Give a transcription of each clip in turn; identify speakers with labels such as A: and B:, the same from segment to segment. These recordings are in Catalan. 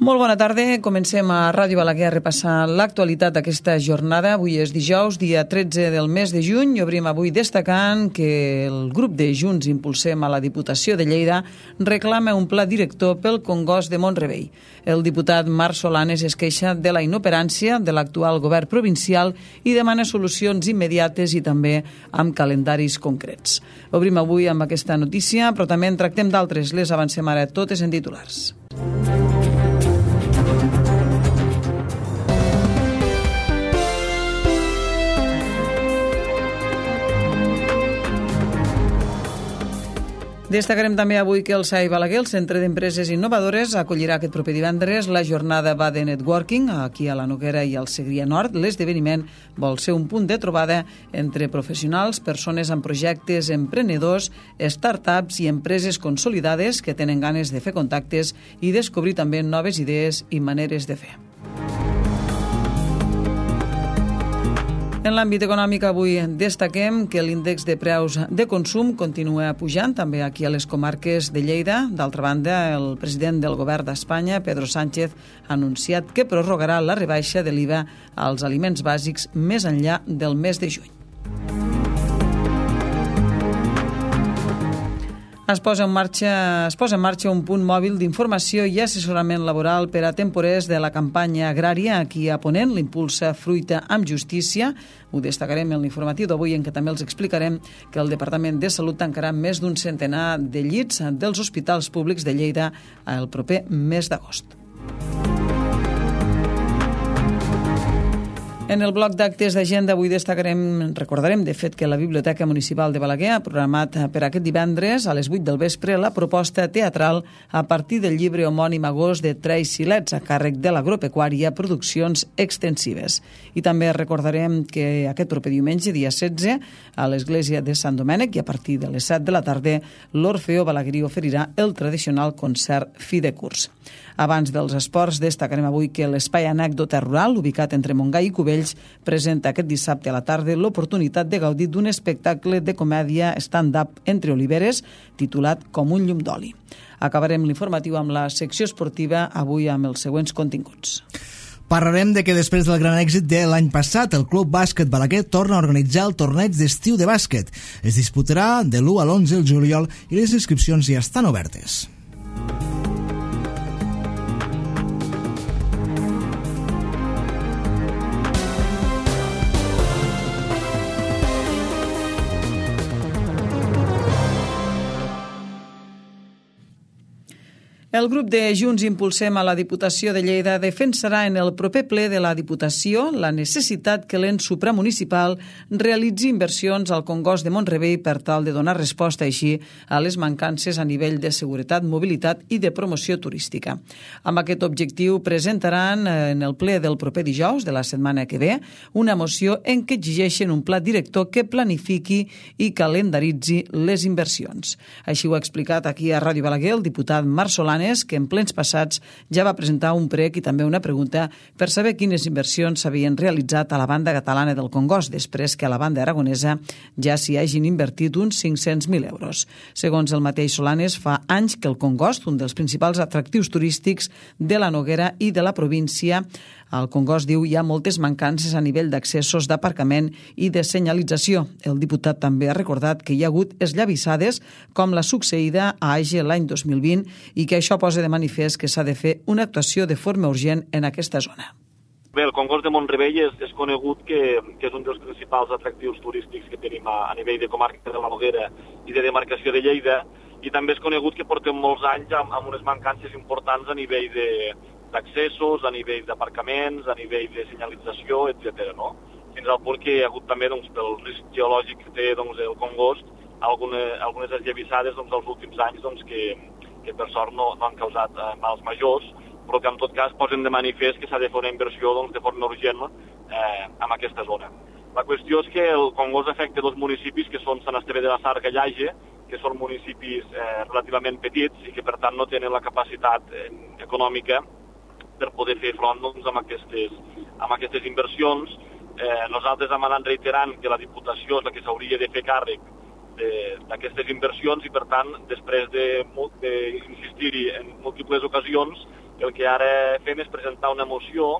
A: Molt bona tarda. Comencem a Ràdio Balaguer a repassar l'actualitat d'aquesta jornada. Avui és dijous, dia 13 del mes de juny. Obrim avui destacant que el grup de Junts Impulsem a la Diputació de Lleida reclama un pla director pel Congost de Mont-rebei. El diputat Marc Solanes es queixa de la inoperància de l'actual govern provincial i demana solucions immediates i també amb calendaris concrets. Obrim avui amb aquesta notícia, però també en tractem d'altres. Les avancem ara totes en titulars. Destacarem també avui que el SAI Balaguer, el Centre d'Empreses Innovadores, acollirà aquest proper divendres la jornada va de networking aquí a la Noguera i al Segrià Nord. L'esdeveniment vol ser un punt de trobada entre professionals, persones amb projectes, emprenedors, startups i empreses consolidades que tenen ganes de fer contactes i descobrir també noves idees i maneres de fer. En l'àmbit econòmic avui destaquem que l'índex de preus de consum continua pujant també aquí a les comarques de Lleida. D'altra banda, el president del govern d'Espanya, Pedro Sánchez, ha anunciat que prorrogarà la rebaixa de l'IVA als aliments bàsics més enllà del mes de juny. Es posa en marxa un punt mòbil d'informació i assessorament laboral per a temporers de la campanya agrària aquí a Ponent, l'impulsa Fruita amb Justícia. Ho destacarem en l'informatiu d'avui, en què també els explicarem que el Departament de Salut tancarà més d'un centenar de llits dels hospitals públics de Lleida el proper mes d'agost. En el bloc d'actes d'agenda avui recordarem de fet que la Biblioteca Municipal de Balaguer ha programat per aquest divendres a les 8 del vespre la proposta teatral a partir del llibre homònim Agost de Tracy Letts a càrrec de l'Agropecuària Produccions Extensives. I també recordarem que aquest proper diumenge, dia 16, a l'Església de Sant Domènec i a partir de les 7 de la tarda, l'Orfeó Balaguerí oferirà el tradicional concert fi de curs. Abans dels esports, destacarem avui que l'Espai Anècdota Rural, ubicat entre Montgai i Cubells, presenta aquest dissabte a la tarda l'oportunitat de gaudir d'un espectacle de comèdia stand-up entre oliveres titulat Com un llum d'oli. Acabarem l'informatiu amb la secció esportiva, avui amb els següents continguts.
B: Parlarem de que després del gran èxit de l'any passat, el Club Bàsquet Balaguer torna a organitzar el torneig d'estiu de bàsquet. Es disputarà de l'1 a l'11 de juliol i les inscripcions ja estan obertes.
A: El grup de Junts Impulsem a la Diputació de Lleida defensarà en el proper ple de la Diputació la necessitat que l'ens supramunicipal realitzi inversions al Congost de Mont-rebei per tal de donar resposta així a les mancances a nivell de seguretat, mobilitat i de promoció turística. Amb aquest objectiu presentaran en el ple del proper dijous de la setmana que ve una moció en què exigeixen un pla director que planifiqui i calendaritzi les inversions. Així ho ha explicat aquí a Ràdio Balaguer el diputat Marc Solanes, que en plens passats ja va presentar un prec i també una pregunta per saber quines inversions s'havien realitzat a la banda catalana del Congost, després que a la banda aragonesa ja s'hi hagin invertit uns 500.000 euros. Segons el mateix Solanes, fa anys que el Congost, un dels principals atractius turístics de la Noguera i de la província, al Congost, diu, hi ha moltes mancances a nivell d'accessos, d'aparcament i de senyalització. El diputat també ha recordat que hi ha hagut esllavissades com la succeïda a Age l'any 2020 i que això posa de manifest que s'ha de fer una actuació de forma urgent en aquesta zona.
C: Bé, el Congost de Mont-rebei és conegut que és un dels principals atractius turístics que tenim a nivell de comarca de la Noguera i de demarcació de Lleida, i també és conegut que portem molts anys amb unes mancances importants a nivell d'accessos, a nivell d'aparcaments, a nivell de senyalització, etc. No? Fins al punt que hi ha hagut també, pel risc geològic que té el Congost, algunes esllavissades els últims anys que per sort no han causat mals majors, però que en tot cas posen de manifest que s'ha de fer una inversió de forma urgent en aquesta zona. La qüestió és que el Congost afecta dos municipis que són Sant Esteve de la Sarga i Age, que són municipis relativament petits i que per tant no tenen la capacitat econòmica per poder fer front amb aquestes inversions. Nosaltres hem anat reiterant que la Diputació és la que s'hauria de fer càrrec d'aquestes inversions i, per tant, després d'insistir-hi en múltiples ocasions, El que ara fem és presentar una moció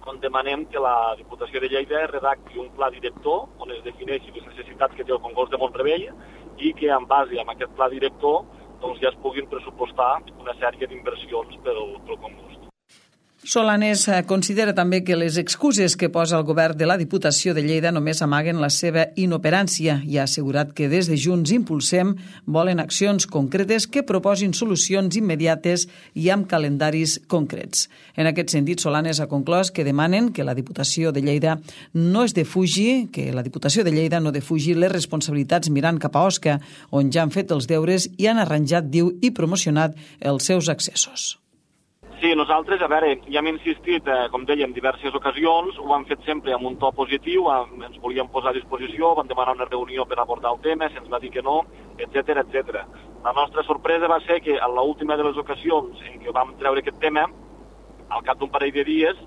C: on demanem que la Diputació de Lleida redacti un pla director on es defineixi les necessitats que té el Congost de Mont-rebei i que en base a aquest pla director doncs, ja es puguin pressupostar una sèrie d'inversions pel Congost.
A: Solanes considera també que les excuses que posa el govern de la Diputació de Lleida només amaguen la seva inoperància i ha assegurat que des de Junts Impulsem volen accions concretes que proposin solucions immediates i amb calendaris concrets. En aquest sentit, Solanes ha conclòs que demanen que la Diputació de Lleida no defugi les responsabilitats mirant cap a Osca, on ja han fet els deures i han arranjat, diu, i promocionat els seus accessos.
C: Sí, nosaltres, a veure, ja hem insistit, com dèiem, en diverses ocasions, ho hem fet sempre amb un to positiu, ens volíem posar a disposició, vam demanar una reunió per abordar el tema, se'ns va dir que no, etc. La nostra sorpresa va ser que en l'última de les ocasions en què vam treure aquest tema, al cap d'un parell de dies,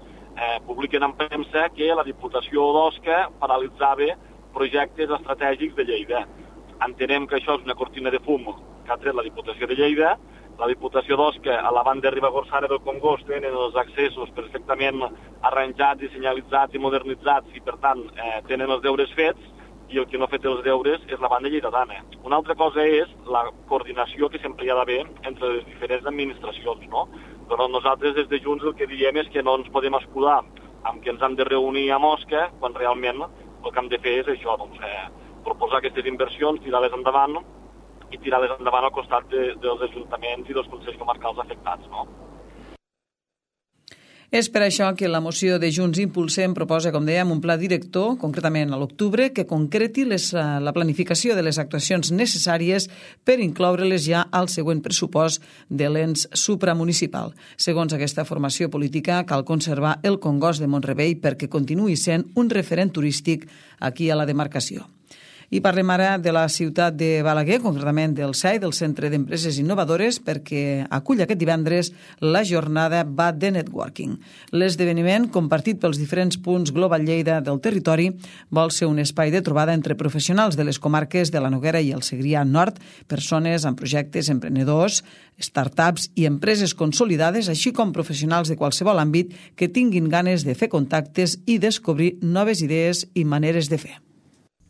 C: publiquen en premsa que la Diputació d'Osca paralitzava projectes estratègics de Lleida. Entenem que això és una cortina de fum que ha tret la Diputació de Lleida. La Diputació d'Osca, a la banda Ribagorçana del Congost, tenen els accessos perfectament arranjats i senyalitzats i modernitzats i, per tant, tenen els deures fets i el que no ha fet els deures és la banda lleidatana. Una altra cosa és la coordinació que sempre hi ha d'haver entre les diferents administracions, no? Però nosaltres des de Junts el que diem és que no ens podem escudar amb que ens hem de reunir a Osca quan realment el que hem de fer és això, doncs, proposar aquestes inversions, tirar-les endavant i tirar-les endavant al costat dels ajuntaments i dels consells comarcals afectats, no?
A: És per això que la moció de Junts Impulsem proposa, com dèiem, un pla director, concretament a l'octubre, que concreti la planificació de les actuacions necessàries per incloure-les ja al següent pressupost de l'ens supramunicipal. Segons aquesta formació política, cal conservar el Congost de Mont-rebei perquè continuï sent un referent turístic aquí a la demarcació. I parlem ara de la ciutat de Balaguer, concretament del CEI, del Centre d'Empreses Innovadores, perquè acull aquest divendres la jornada Va de Networking. L'esdeveniment, compartit pels diferents punts Global Lleida del territori, vol ser un espai de trobada entre professionals de les comarques de la Noguera i el Segrià Nord, persones amb projectes, emprenedors, startups i empreses consolidades, així com professionals de qualsevol àmbit que tinguin ganes de fer contactes i descobrir noves idees i maneres de fer.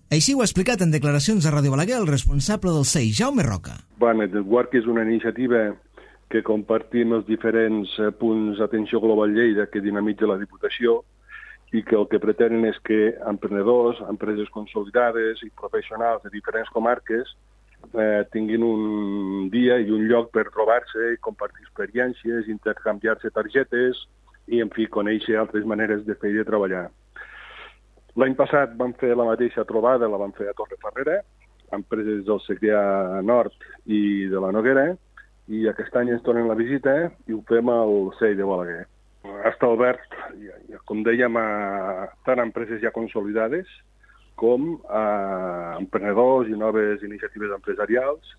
B: Així ho ha explicat en declaracions a Ràdio Balaguer el responsable del CEI, Jaume Roca.
D: Network és una iniciativa que compartim els diferents punts d'atenció Global Lleida que dinamitza la Diputació i que el que pretenen és que emprenedors, empreses consolidades i professionals de diferents comarques tinguin un dia i un lloc per trobar-se i compartir experiències, intercanviar-se targetes i, en fi, conèixer altres maneres de fer i de treballar. L'any passat vam fer la mateixa trobada, la vam fer a Torrefarrera, empreses del Segrià Nord i de la Noguera, i aquest any ens tornen la visita i ho fem al CEI de Balaguer. Està obert, com dèiem, tant a empreses ja consolidades com a emprenedors i noves iniciatives empresarials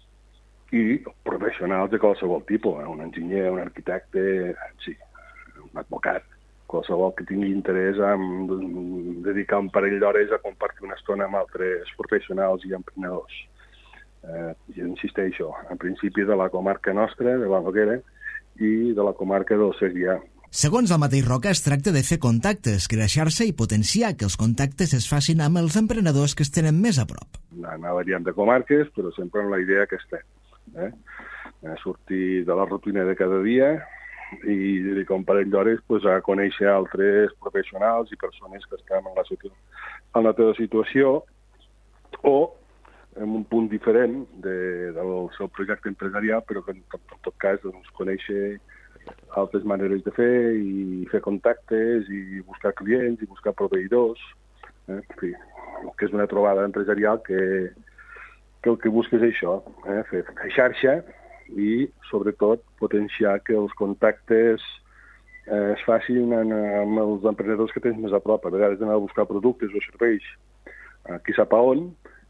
D: i professionals de qualsevol tipus, un enginyer, un arquitecte, sí, un advocat. Qualsevol que tingui interès en dedicar un parell d'hores a compartir una estona amb altres professionals i emprenedors. I insisteixo, en principi de la comarca nostra, de la Noguera, i de la comarca del Segrià.
B: Segons el mateix Roca, es tracta de fer contactes, crear xarxa i potenciar que els contactes es facin amb els emprenedors que es tenen més a prop.
D: Anar variant de comarques, però sempre amb la idea que estem. Sortir de la rutina de cada dia i dedicar un parell d'hores a conèixer altres professionals i persones que estan en la teva situació o en un punt diferent del seu projecte empresarial, però que en tot cas conèixer altres maneres de fer i fer contactes i buscar clients i buscar proveïdors. En fi, que és una trobada empresarial que el que busca és això, fer xarxa i, sobretot, potenciar que els contactes es facin amb els emprenedors que tens més a prop. A vegades d'anar a buscar productes o serveis qui sap a on,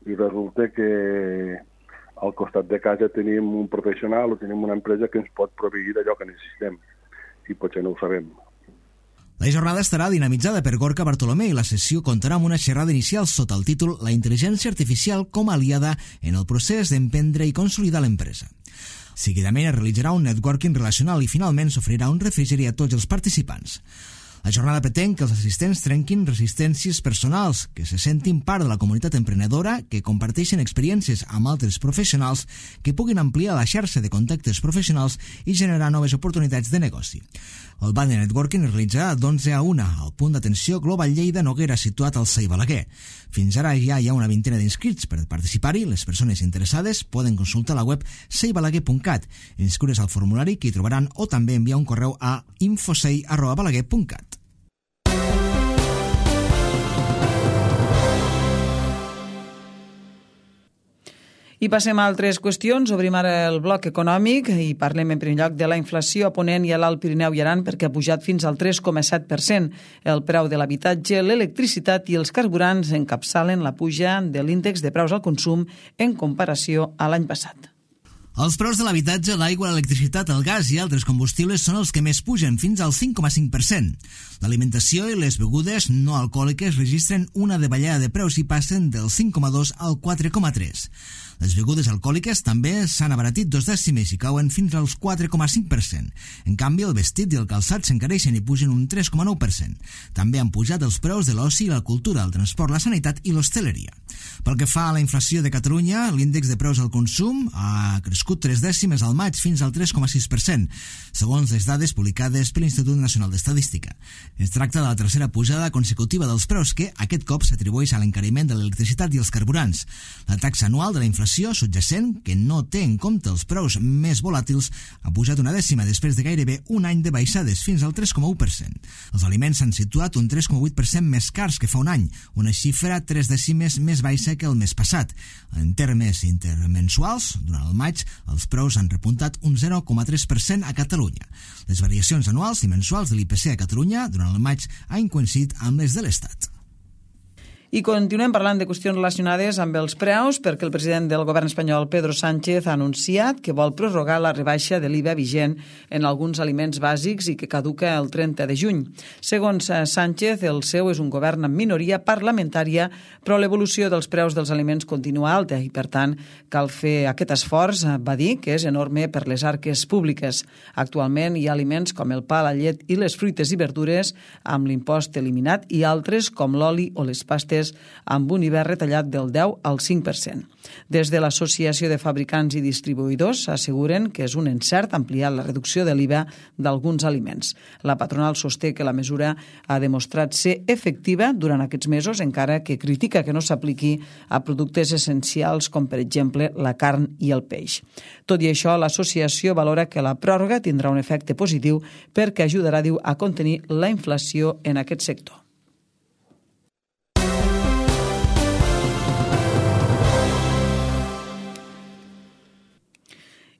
D: i resulta que al costat de casa tenim un professional o tenim una empresa que ens pot proveir d'allò que necessitem, i potser no ho sabem.
B: La jornada estarà dinamitzada per Gorka Bartolomé i la sessió comptarà amb una xerrada inicial sota el títol La intel·ligència artificial com a aliada en el procés d'emprendre i consolidar l'empresa. Seguidament es realitzarà un networking relacional i finalment s'oferirà un refrigeri a tots els participants. La jornada pretén que els assistents trenquin resistències personals, que se sentin part de la comunitat emprenedora, que comparteixen experiències amb altres professionals, que puguin ampliar la xarxa de contactes professionals i generar noves oportunitats de negoci. El ball de networking es realitzarà d'11 a 1 al punt d'atenció Global Lleida Noguera, situat al CEI Balaguer. Fins ara ja hi ha una vintena d'inscrits per participar-hi. Les persones interessades poden consultar la web ceibalaguer.cat, inscriure's al formulari que hi trobaran o també enviar un correu a infocei@balaguer.cat.
A: I passem a altres qüestions. Obrim ara el bloc econòmic i parlem en primer lloc de la inflació a Ponent i a l'Alt Pirineu i Aran, perquè ha pujat fins al 3,7%. El preu de l'habitatge, l'electricitat i els carburants encapçalen la puja de l'índex de preus al consum en comparació a l'any passat.
B: Els preus de l'habitatge, l'aigua, l'electricitat, el gas i altres combustibles són els que més pugen, fins al 5,5%. L'alimentació i les begudes no alcohòliques registren una davallada de preus i passen del 5,2 al 4,3. Les begudes alcohòliques també s'han abaratit 2 dècimes i cauen fins als 4,5%. En canvi, el vestit i el calçat s'encareixen i pugen un 3,9%. També han pujat els preus de l'oci i la cultura, el transport, la sanitat i l'hostaleria. Pel que fa a la inflació de Catalunya, l'índex de preus al consum ha crescut 3 dècimes al maig fins al 3,6%, segons les dades publicades per l'Institut Nacional d'Estadística. Es tracta de la tercera pujada consecutiva dels preus que aquest cop s'atribueix a l'encariment de l'electricitat i els carburants. La taxa anual de la inflació subjacent, que no té en compte els preus més volàtils, ha pujat una dècima després de gairebé un any de baixades, fins al 3,1%. Els aliments s'han situat un 3,8% més cars que fa un any, una xifra 3 dècimes més baixa que el mes passat. En termes intermensuals, durant el maig, els preus han repuntat un 0,3% a Catalunya. Les variacions anuals i mensuals de l'IPC a Catalunya durant el maig han coincidit amb les de l'Estat.
A: I continuem parlant de qüestions relacionades amb els preus, perquè el president del govern espanyol, Pedro Sánchez, ha anunciat que vol prorrogar la rebaixa de l'IVA vigent en alguns aliments bàsics i que caduca el 30 de juny. Segons Sánchez, el seu és un govern amb minoria parlamentària, però l'evolució dels preus dels aliments continua alta i, per tant, cal fer aquest esforç, va dir, que és enorme per les arques públiques. Actualment hi ha aliments com el pa, la llet i les fruites i verdures amb l'impost eliminat i altres com l'oli o les pastes amb un IVA retallat del 10 al 5%. Des de l'Associació de Fabricants i Distribuïdors asseguren que és un encert ampliar la reducció de l'IVA d'alguns aliments. La patronal sosté que la mesura ha demostrat ser efectiva durant aquests mesos, encara que critica que no s'apliqui a productes essencials com, per exemple, la carn i el peix. Tot i això, l'associació valora que la pròrroga tindrà un efecte positiu perquè ajudarà, diu, a contenir la inflació en aquest sector.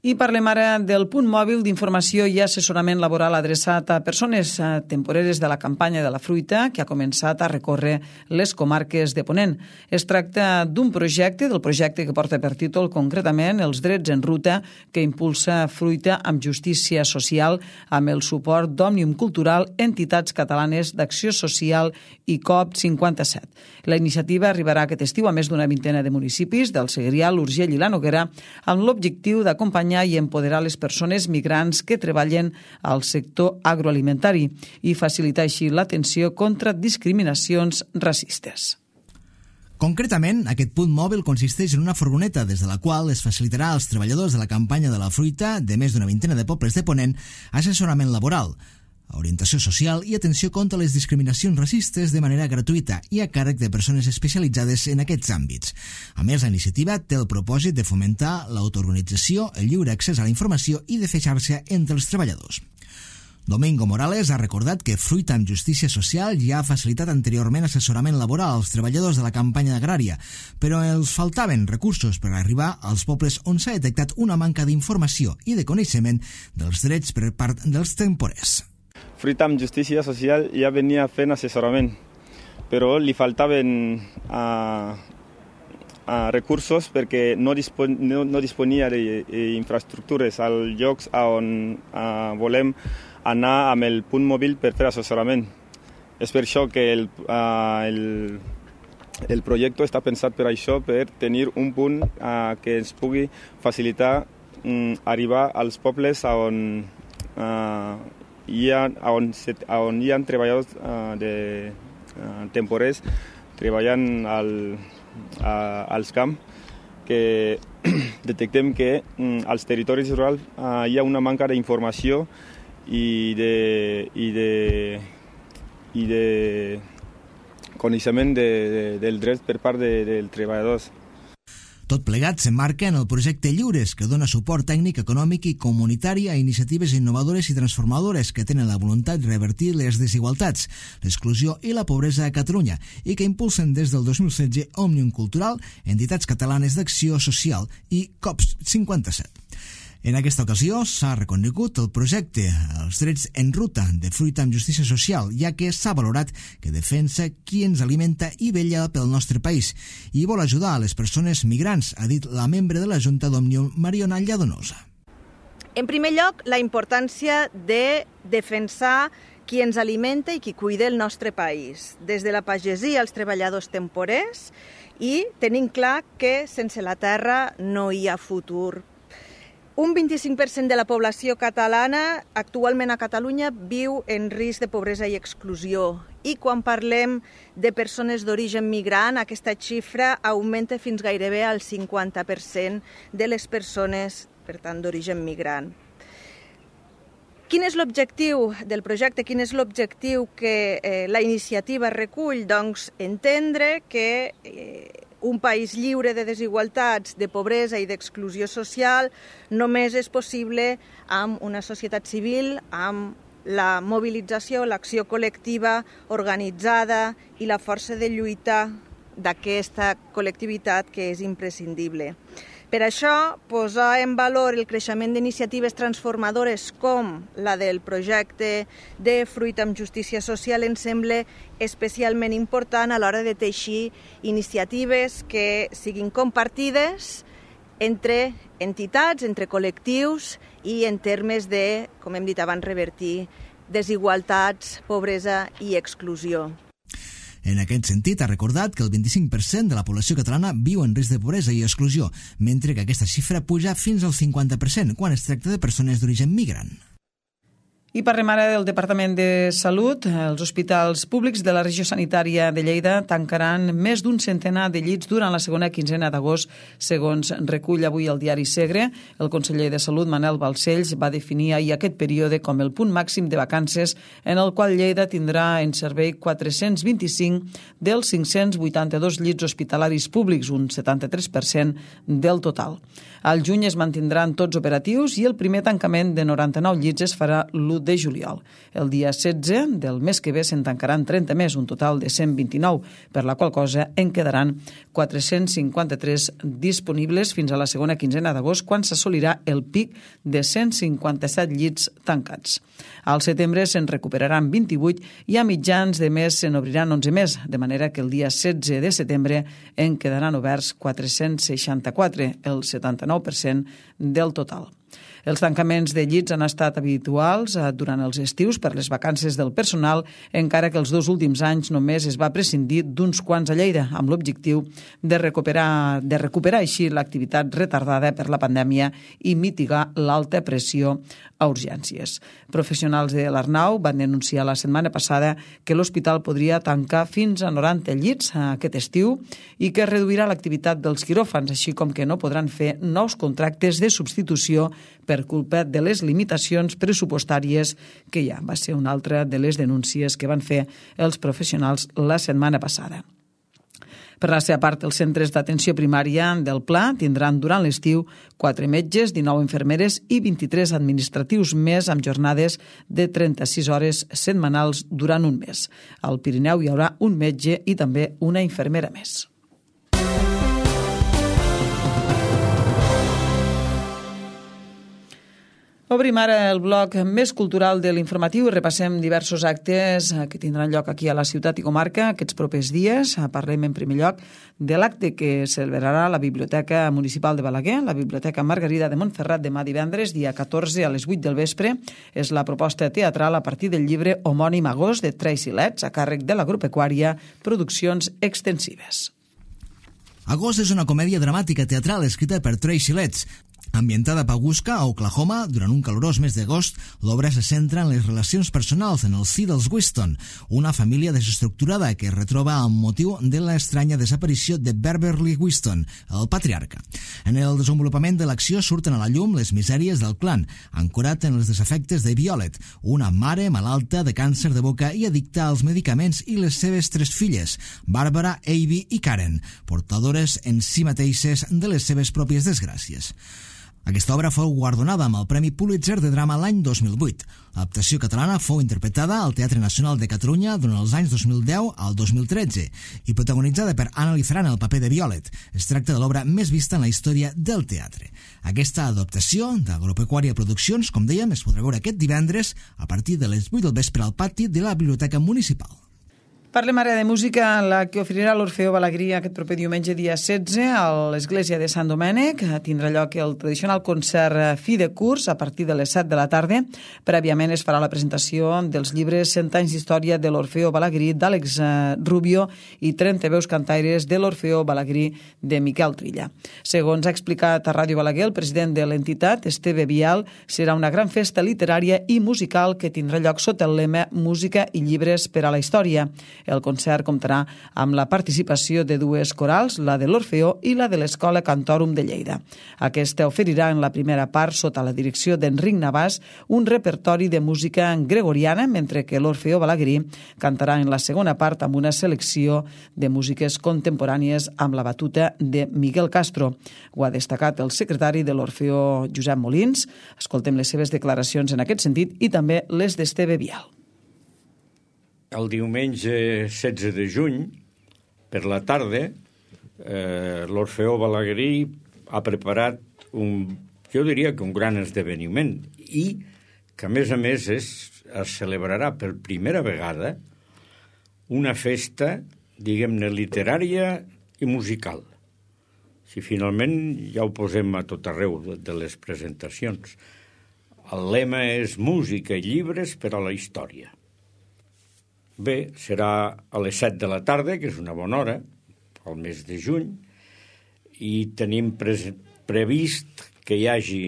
A: I parlem ara del punt mòbil d'informació i assessorament laboral adreçat a persones temporeres de la campanya de la fruita que ha començat a recórrer les comarques de Ponent. Es tracta d'un projecte, del projecte que porta per títol concretament Els drets en ruta, que impulsa Fruita amb justícia social amb el suport d'Òmnium Cultural, entitats catalanes d'Acció Social i COP57. La iniciativa arribarà aquest estiu a més d'una vintena de municipis del Segrià, l'Urgell i la Noguera amb l'objectiu d'acompanyar i empoderar les persones migrants que treballen al sector agroalimentari i facilitar així l'atenció contra discriminacions racistes.
B: Concretament, aquest punt mòbil consisteix en una furgoneta des de la qual es facilitarà als treballadors de la campanya de la fruita de més d'una vintena de pobles de Ponent assessorament laboral, orientació social i atenció contra les discriminacions racistes de manera gratuïta i a càrrec de persones especialitzades en aquests àmbits. A més, la iniciativa té el propòsit de fomentar l'autoorganització, el lliure accés a la informació i de fer xarxa entre els treballadors. Domingo Morales ha recordat que Fruita amb Justícia Social ja ha facilitat anteriorment assessorament laboral als treballadors de la campanya agrària, però els faltaven recursos per arribar als pobles on s'ha detectat una manca d'informació i de coneixement dels drets per part dels temporers.
E: Fruita amb Justícia Social ja venia fent assessorament, però li faltaven recursos perquè no disponia d'infraestructures als llocs on volem anar amb el punt mòbil per fer assessorament. És per això que el projecte està pensat per això, per tenir un punt que ens pugui facilitar arribar als pobles on hi ha treballadors temporers treballant als camps, que detectem que als territoris rurals hi ha una manca d'informació i de coneixement del dret per part dels treballadors.
B: Tot plegat s'emmarca en el projecte Lliures, que dona suport tècnic, econòmic i comunitari a iniciatives innovadores i transformadores que tenen la voluntat de revertir les desigualtats, l'exclusió i la pobresa a Catalunya i que impulsen des del 2016 Òmnium Cultural, entitats catalanes d'acció social i COPS 57. En aquesta ocasió s'ha reconegut el projecte Els drets en ruta de Fruita amb Justícia Social, ja que s'ha valorat que defensa qui ens alimenta i vetlla pel nostre país i vol ajudar a les persones migrants, ha dit la membre de la Junta d'Òmnium, Mariona Lladonosa.
F: En primer lloc, la importància de defensar qui ens alimenta i qui cuida el nostre país, des de la pagesia als treballadors temporers i tenint clar que sense la terra no hi ha futur. Un 25% de la població catalana actualment a Catalunya viu en risc de pobresa i exclusió. I quan parlem de persones d'origen migrant, aquesta xifra augmenta fins gairebé al 50% de les persones, per tant, d'origen migrant. Quin és l'objectiu del projecte? Quin és l'objectiu que la iniciativa recull? Doncs entendre que un país lliure de desigualtats, de pobresa i d'exclusió social només és possible amb una societat civil, amb la mobilització, l'acció col·lectiva organitzada i la força de lluita d'aquesta col·lectivitat que és imprescindible. Per això, posar en valor el creixement d'iniciatives transformadores com la del projecte de Fruita amb Justícia Social ens sembla especialment important a l'hora de teixir iniciatives que siguin compartides entre entitats, entre col·lectius i en termes de, com hem dit abans, revertir desigualtats, pobresa i exclusió.
B: En aquest sentit, ha recordat que el 25% de la població catalana viu en risc de pobresa i exclusió, mentre que aquesta xifra puja fins al 50% quan es tracta de persones d'origen migrant.
A: I parlem ara del Departament de Salut. Els hospitals públics de la regió sanitària de Lleida tancaran més d'un centenar de llits durant la segona quinzena d'agost, segons recull avui el diari Segre. El conseller de Salut, Manel Balcells, va definir ahir aquest període com el punt màxim de vacances en el qual Lleida tindrà en servei 425 dels 582 llits hospitalaris públics, un 73% del total. Al juny es mantindran tots operatius i el primer tancament de 99 llits es farà l'1 de juliol. El dia 16 del mes que ve se'n tancaran 30 més, un total de 129, per la qual cosa en quedaran 453 disponibles fins a la segona quinzena d'agost, quan s'assolirà el pic de 157 llits tancats. Al setembre se'n recuperaran 28 i a mitjans de mes se'n obriran 11 més, de manera que el dia 16 de setembre en quedaran oberts 464, el 79% del total. Els tancaments de llits han estat habituals durant els estius per les vacances del personal, encara que els 2 últims anys només es va prescindir d'uns quants a Lleida, amb l'objectiu de recuperar així l'activitat retardada per la pandèmia i mitigar l'alta pressió a urgències. Professionals de l'Arnau van denunciar la setmana passada que l'hospital podria tancar fins a 90 llits aquest estiu i que reduirà l'activitat dels quiròfans, així com que no podran fer nous contractes de substitució per culpa de les limitacions pressupostàries que hi ha. Va ser una altra de les denúncies que van fer els professionals la setmana passada. Per la seva part, els centres d'atenció primària del Pla tindran durant l'estiu 4 metges, 19 infermeres i 23 administratius més amb jornades de 36 hores setmanals durant un mes. Al Pirineu hi haurà un metge i també una infermera més. Obrim ara el bloc més cultural de l'informatiu i repassem diversos actes que tindran lloc aquí a la ciutat i comarca aquests propers dies. Parlem en primer lloc de l'acte que celebrarà la Biblioteca Municipal de Balaguer, la Biblioteca Margarida de Montferrat, demà divendres, dia 14 a les 8 del vespre. És la proposta teatral a partir del llibre homònim Agost de Tracy Letts, a càrrec de l'Agropecuària Produccions Extensives.
B: Agost és una comèdia dramàtica teatral escrita per Tracy Letts. Ambientada a Pawhuska, a Oklahoma, durant un calorós mes d'agost, l'obra se centra en les relacions personals en el si dels Whiston, una família desestructurada que es retroba amb motiu de l'estranya desaparició de Beverly Whiston, el patriarca. En el desenvolupament de l'acció surten a la llum les misèries del clan, ancorat en els desafectes de Violet, una mare malalta de càncer de boca i addicta als medicaments, i les seves 3 filles, Barbara, Abby i Karen, portadores en si mateixes de les seves pròpies desgràcies. Aquesta obra fou guardonada amb el Premi Pulitzer de Drama l'any 2008. L'adaptació catalana fou interpretada al Teatre Nacional de Catalunya durant els anys 2010 al 2013 i protagonitzada per Anna Lizaran el paper de Violet. Es tracta de l'obra més vista en la història del teatre. Aquesta adaptació d'Agropecuària Produccions, com dèiem, es podrà veure aquest divendres a partir de les 8 del vespre al pati de la Biblioteca Municipal.
A: Parlem ara de música, la que oferirà l'Orfeó Balagrí aquest proper diumenge dia 16 a l'Església de Sant Domènec. Tindrà lloc el tradicional concert fi de curs a partir de les 7 de la tarda. Prèviament es farà la presentació dels llibres 100 anys d'història de l'Orfeó Balagrí d'Àlex Rubio i 30 veus cantaires de l'Orfeó Balagrí de Miquel Trilla. Segons ha explicat a Ràdio Balaguer el president de l'entitat, Esteve Vial, serà una gran festa literària i musical que tindrà lloc sota el lema Música i llibres per a la història. El concert comptarà amb la participació de 2 corals, la de l'Orfeó i la de l'Escola Cantòrum de Lleida. Aquesta oferirà en la primera part, sota la direcció d'Enric Navàs, un repertori de música gregoriana, mentre que l'Orfeó Balagrí cantarà en la segona part amb una selecció de músiques contemporànies amb la batuta de Miguel Castro. Ho ha destacat el secretari de l'Orfeó, Josep Molins. Escoltem les seves declaracions en aquest sentit i també les d'Esteve Vial.
G: El diumenge 16 de juny, per la tarda, l'Orfeó Balagrí ha preparat jo diria que un gran esdeveniment i que, a més, es celebrarà per primera vegada una festa, diguem-ne, literària i musical. Si finalment ja ho posem a tot arreu de les presentacions. El lema és música i llibres per a la història. Bé, serà a les 7 de la tarda, que és una bona hora, al mes de juny, i tenim previst que hi hagi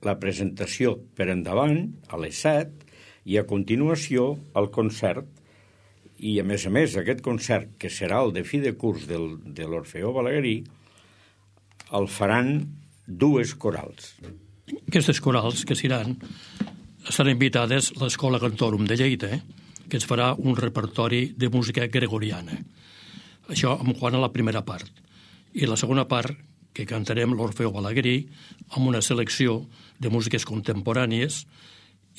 G: la presentació per endavant, a les 7, i a continuació el concert. I, a més, aquest concert, que serà el de fi de curs de l'Orfeó Balagrí, el faran 2 corals.
H: Aquestes corals que seran invitades a l'Escola Cantòrum de Lleida, que es farà un repertori de música gregoriana. Això en quant a la primera part. I la segona part, que cantarem l'Orfeó Balagrí amb una selecció de músiques contemporànies,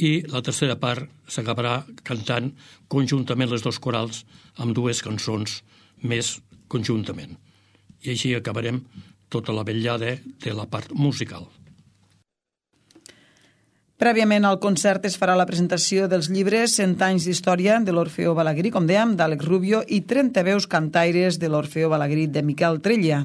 H: i la tercera part s'acabarà cantant conjuntament les 2 corals amb 2 cançons més conjuntament. I així acabarem tota la vetllada de la part musical.
A: Prèviament al concert es farà la presentació dels llibres 100 anys d'història de l'Orfeó Balagrí, com dèiem, d'Àlex Rubio, i 30 veus cantaires de l'Orfeó Balagrí de Miquel Trilla,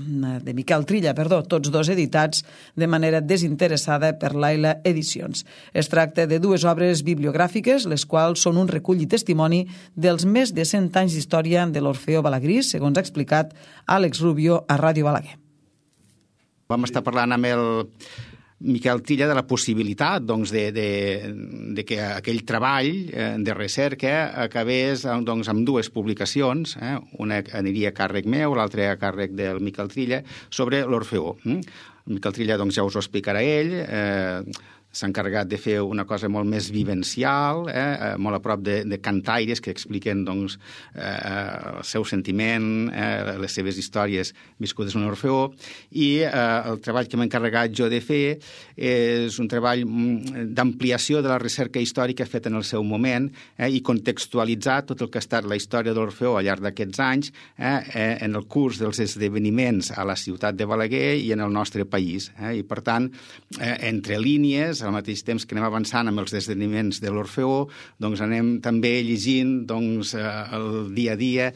A: tots 2 editats de manera desinteressada per l'Aila Edicions. Es tracta de 2 obres bibliogràfiques, les quals són un recull i testimoni dels més de 100 anys d'història de l'Orfeó Balagrí, segons ha explicat Àlex Rubio a Ràdio Balaguer.
I: Vam estar parlant amb el Miquel Trilla de la possibilitat de que aquell treball de recerca acabés amb 2 publicacions, una aniria a càrrec meu, l'altra a càrrec del Miquel Trilla, sobre l'Orfeó. Miquel Trilla ja us ho explicarà ell, s'ha encarregat de fer una cosa molt més vivencial, molt a prop de cantaires que expliquen el seu sentiment, les seves històries viscudes en l'Orfeó, i el treball que m'he encarregat jo de fer és un treball d'ampliació de la recerca històrica feta en el seu moment i contextualitzar tot el que ha estat la història de l'Orfeó al llarg d'aquests anys en el curs dels esdeveniments a la ciutat de Balaguer i en el nostre país. I, per tant, entre línies, al mateix temps que anem avançant amb els esdeveniments de l'Orfeó, anem també llegint el dia a dia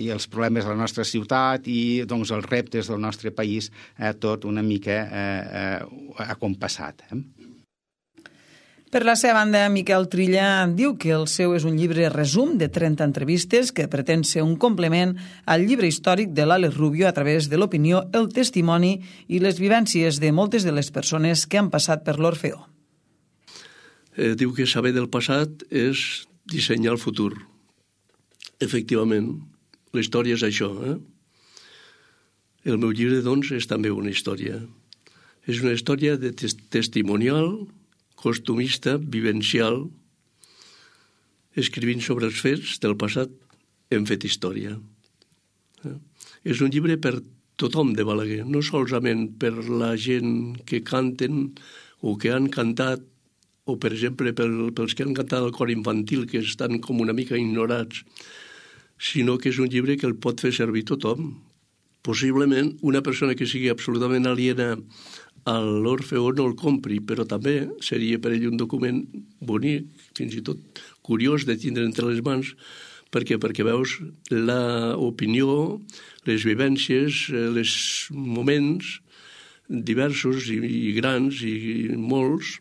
I: i els problemes de la nostra ciutat i els reptes del nostre país, tot una mica acompassat.
A: Per la seva banda, Miquel Trilla diu que el seu és un llibre resum de 30 entrevistes que pretén ser un complement al llibre històric de l'Àlex Rubio a través de l'opinió, el testimoni i les vivències de moltes de les persones que han passat per l'Orfeó.
J: Diu que saber del passat és dissenyar el futur. Efectivament, la història és això. El meu llibre, doncs, és també una història. És una història de testimonial, costumista, vivencial. Escrivint sobre els fets del passat hem fet història. És un llibre per tothom de Balaguer, no solament per la gent que canten o que han cantat, o per exemple pels que han cantat el cor infantil, que estan com una mica ignorats, sinó que és un llibre que el pot fer servir tothom. Possiblement una persona que sigui absolutament aliena a l'Orfeó no el compri, però també seria per ell un document bonic, fins i tot curiós de tindre entre les mans, perquè veus l'opinió, les vivències, els moments diversos i grans i molts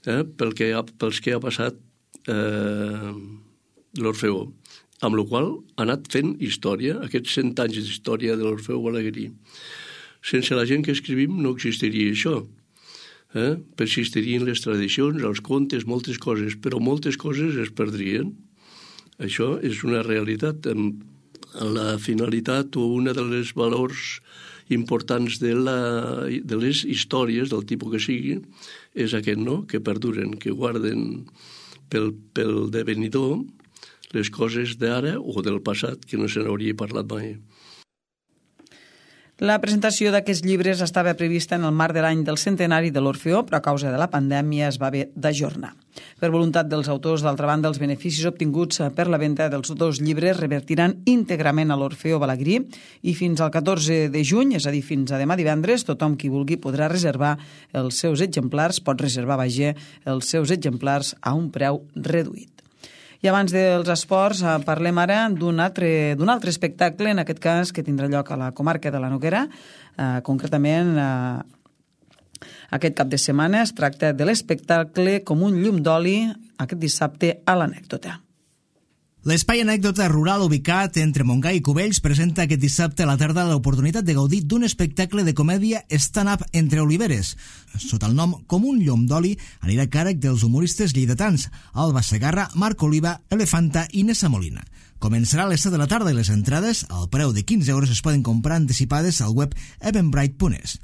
J: pels que ha passat l'Orfeó, amb la qual ha anat fent història, aquests 100 anys d'història de l'Orfeó balaguerí. Sense la gent que escrivim no existiria això. Persistirien les tradicions, els contes, moltes coses, però moltes coses es perdrien. Això és una realitat. La finalitat o una de les valors importants de les històries, del tipus que sigui, és aquest, no?, que perduren, que guarden pel devenidor les coses d'ara o del passat que no se n'hauria parlat mai.
A: La presentació d'aquests llibres estava prevista en el marc de l'any del centenari de l'Orfeó, però a causa de la pandèmia es va haver d'ajornar. Per voluntat dels autors, d'altra banda, els beneficis obtinguts per la venda dels dos llibres revertiran íntegrament a l'Orfeó balaguerí i fins al 14 de juny, és a dir, fins a demà divendres, tothom qui vulgui podrà reservar els seus exemplars, pot reservar, els seus exemplars a un preu reduït. I abans dels esports parlem ara d'un altre espectacle, en aquest cas que tindrà lloc a la comarca de la Noguera, concretament aquest cap de setmana. Es tracta de l'espectacle Com un llum d'oli, aquest dissabte a l'Anècdota.
B: L'espai Anècdota Rural ubicat entre Montgai i Cubells presenta aquest dissabte a la tarda l'oportunitat de gaudir d'un espectacle de comèdia stand-up entre oliveres. Sota el nom Com un llum d'oli anirà a càrrec dels humoristes lleidatans Alba Segarra, Marc Oliva, Elefanta i Nessa Molina. Començarà a les 7 de la tarda i les entrades, al preu de 15 euros, es poden comprar anticipades al web eventbrite.es.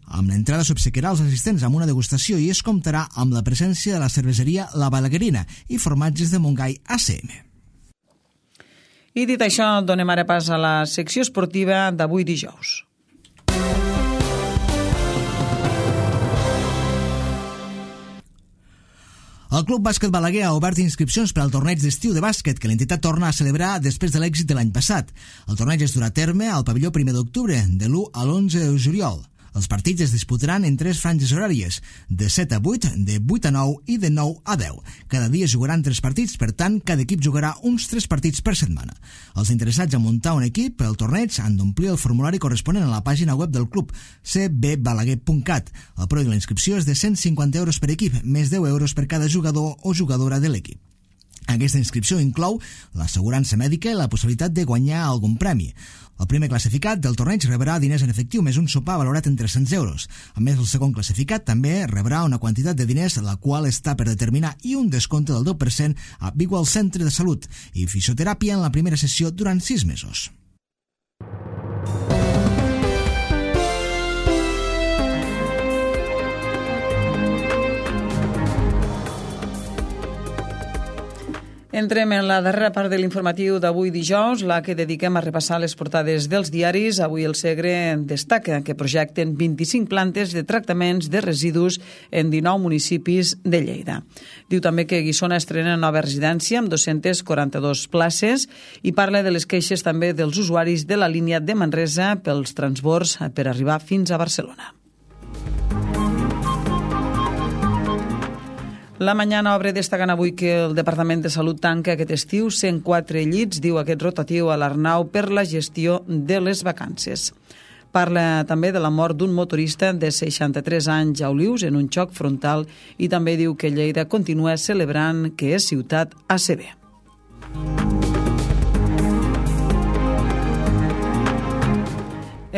B: Amb l'entrada s'obsequiarà als assistents amb una degustació i es comptarà amb la presència de la cerveseria La Balaguerina i formatges de Montgai ACM.
A: I dit això, donem ara pas a la secció esportiva d'avui dijous.
B: El Club Bàsquet Balaguer ha obert inscripcions per al torneig d'estiu de bàsquet que l'entitat torna a celebrar després de l'èxit de l'any passat. El torneig es durà a terme al pavelló 1 d'octubre, de l'1 a l'11 de juliol. Els partits es disputaran en 3 franges horàries, de 7 a 8, de 8 a 9 i de 9 a 10. Cada dia jugaran 3 partits, per tant, cada equip jugarà uns 3 partits per setmana. Els interessats a muntar un equip per al torneig han d'omplir el formulari corresponent a la pàgina web del club, cbbalaguer.cat. El preu de la inscripció és de 150 euros per equip, més 10 euros per cada jugador o jugadora de l'equip. Aquesta inscripció inclou l'assegurança mèdica i la possibilitat de guanyar algun premi. El primer classificat del torneig rebrà diners en efectiu més un sopar valorat en 300 euros. A més, el segon classificat també rebrà una quantitat de diners la qual està per determinar i un descompte del 10% a Bigual Centre de Salut i fisioteràpia en la primera sessió durant 6 mesos.
A: Entrem en la darrera part de l'informatiu d'avui dijous, la que dediquem a repassar les portades dels diaris. Avui el Segre destaca que projecten 25 plantes de tractaments de residus en 19 municipis de Lleida. Diu també que Guissona estrena nova residència amb 242 places i parla de les queixes també dels usuaris de la línia de Manresa pels transbords per arribar fins a Barcelona. La Mañana obre destacant avui que el Departament de Salut tanca aquest estiu 104 llits, diu aquest rotatiu a l'Arnau, per la gestió de les vacances. Parla també de la mort d'un motorista de 63 anys a Olius en un xoc frontal i també diu que Lleida continua celebrant que és ciutat ACB.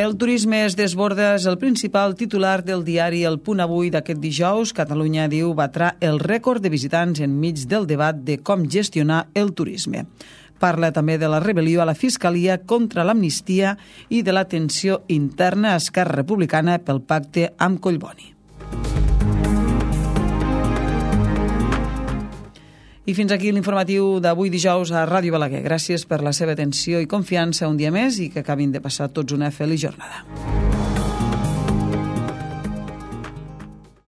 A: El turisme es desborda és el principal titular del diari El Punt Avui d'aquest dijous. Catalunya, diu, batrà el rècord de visitants enmig del debat de com gestionar el turisme. Parla també de la rebel·lió a la Fiscalia contra l'amnistia i de la tensió interna a Esquerra Republicana pel pacte amb Collboni. I fins aquí l'informatiu d'avui dijous a Ràdio Balaguer. Gràcies per la seva atenció i confiança un dia més i que acabin de passar tots una feliç jornada.